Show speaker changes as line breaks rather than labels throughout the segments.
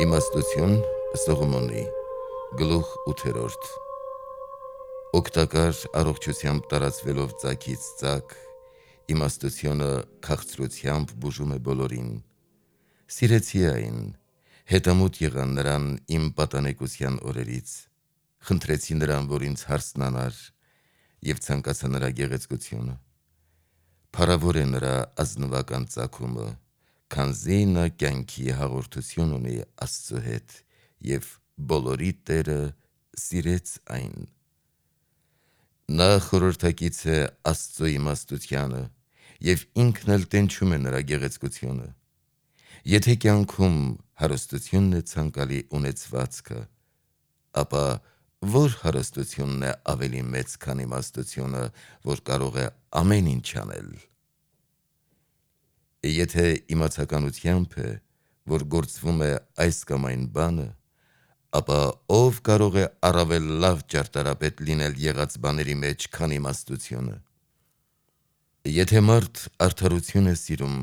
Իմաստություն Սողոմոնի գլուխ 8-րդ Օգտակար առողջությամբ տարածվելով ծագից ծագ, իմաստությունը քաղցրությամբ բուժում է բոլորին։ Սիրեցի այն, հետամուտ եղա նրան իմ պատանեկության օրերից, խնդրեցի նրան, որ ինձ հարցնանար, և ցանկացա նրա գեղեցկությունը։ Փառավոր է նրա ազնվական ծագումը, քանզի նա կյանքի հաղորդություն ունի Աստծու հետ, և բոլորի Տերը սիրեց այն։ Նա խորհրդակից է Աստծու իմաստությանը, և ինքն էլ տենչում է նրա գեղեցկությունը։ Եթե կյանքում հարստությունն է ցանկալի ունեցվածքը, ապա որ հարստությունն է ավելի մեծ, քան իմաստությունը, որ կարող է ամեն ինչ անել։ Եթե իմացականությամբ է, որ գործվում է այս կամ այն բանը, ապա ով կարող է առավել լավ ճարտարապետ լինել եղած բաների մեջ, քան իմաստությունը։ Եթե մարդ արդարություն է սիրում,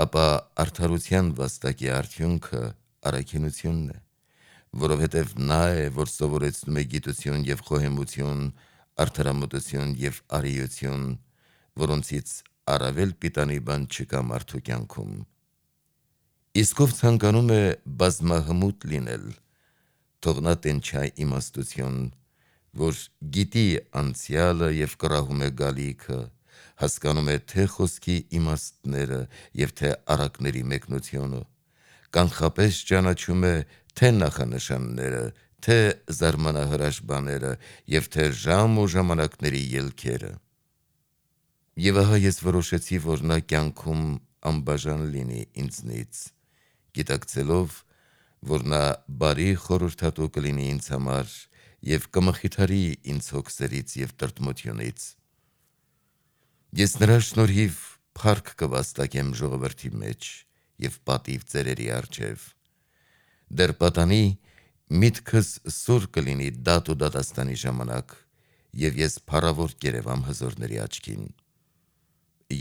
ապա արդարության վաստակի արդյունքը առաքինությունն է, որովհետև նա է, որ սովորեցնում է գիտություն և խոհեմություն, արդարամտություն և արիություն, որոնցից առավել պիտանի բան չկա մարդու կյանքում։ Իսկ ով ցանկանում է բազմահմուտ լինել, թող նա տենչա իմաստություն, որ գիտի անցյալը և կռահում է գալիքը, հասկանում է թե խոսքի իմաստները և թե առակների մեկնությունը, կանխապես ճանաչում է թե նախանշանները, թե զարմանահրաշ բաները և թե ժամ ու ժամանակների ելքերը։ Եվ ահա ես որոշեցի, որ նա կյանքում անբաժան լինի ինձնից, գիտակցելով, որ նա բարի խորհրդատու կլինի ինձ համար և կմխիթարի ինձ հոգսերից և տրտմությունից։ Ես նրա շնորհիվ փառք կվաստակեմ ժողովրդի մեջ և պատիվ ծերերի առջև։ Դեռ պատանի, միտքս սուր կլինի դատ ու դատաստանի ժամանակ, և ես փառավոր կերևամ հզորների աչքին։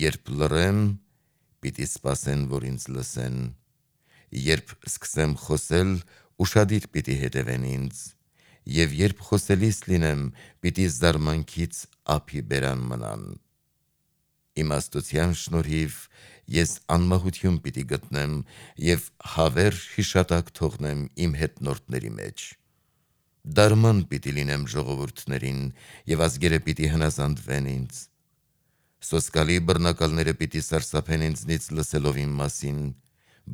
Երբ լռեմ, պիտի սպասեն, որ ինձ լսեն, երբ սկսեմ խոսել, ուշադիր պիտի հետևեն ինձ, և երբ խոսելիս լինեմ, պիտի զարմանքից ափի բերան մնան։ Իմաստության շնորհիվ ես անմահություն պիտի գտնեմ և հավերժ հիշատակ թողնեմ իմ հետնորդների մեջ։ Դարման պիտի լինեմ ժողովուրդներին, և ազգերը պիտի հնազանդվեն ինձ։ Սոսկալի բռնակալները պիտի սարսափեն ինձնից լսելով իմ մասին,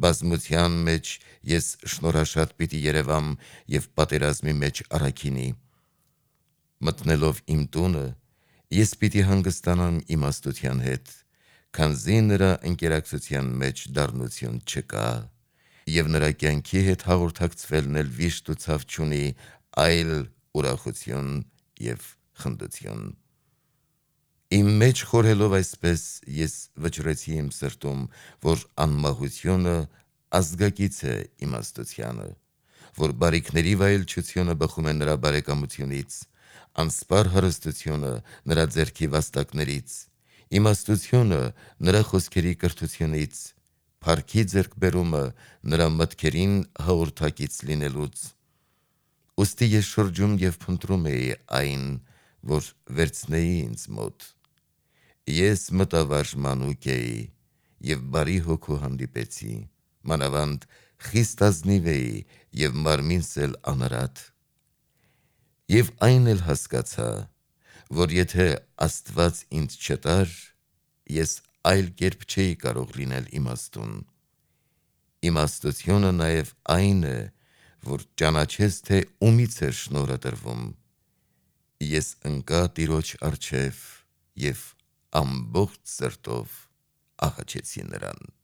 բազմության մեջ ես շնորհաշատ պիտի երևամ և պատերազմի մեջ առաքինի։ Մտնելով իմ տունը, ես պիտի հանգստանամ իմաստության հետ, քանզի նրա ընկերակցության մեջ դառնություն չկա, և նրա կյանքի հետ հաղորդակցվելն էլ վիշտ ու ցավ չունի, այլ ուրախություն և խնդություն։ Իմ մեջ խորհելով այսպես, ես վճռեցի իմ սրտում, որ անմահությունը ազգակից է իմաստությանը, որ բարիքների վայելչությունը բխում է նրա բարեկամությունից, անսպառ հարստությունը նրա ձեռքի վաստակներից, իմաստությունը նրա խոսքերի կրթությունից, փառքի ձեռքբերումը նրա մտքերին հաղորդակից լինելուց։ Ուստի ես շրջում և փնտրում էի այն, որ վերցնեի ինձ մոտ։ Ես մտավարժ մանուկ էի և բարի հոգու հանդիպեցի, մանավանդ խիստ ազնիվ էի և մարմինս էլ անարատ։ Եվ այն էլ հասկացա, որ եթե Աստված ինձ չտար, ես այլ կերպ չէի կարող լինել իմաստուն։ Իմաստությունը նաև այն է, որ ճանաչես, թե ումից է շնորհը տրվում։ Ես ընկա Տիրոջ առջև և ամբողջ սրտով աղաչեցի նրան։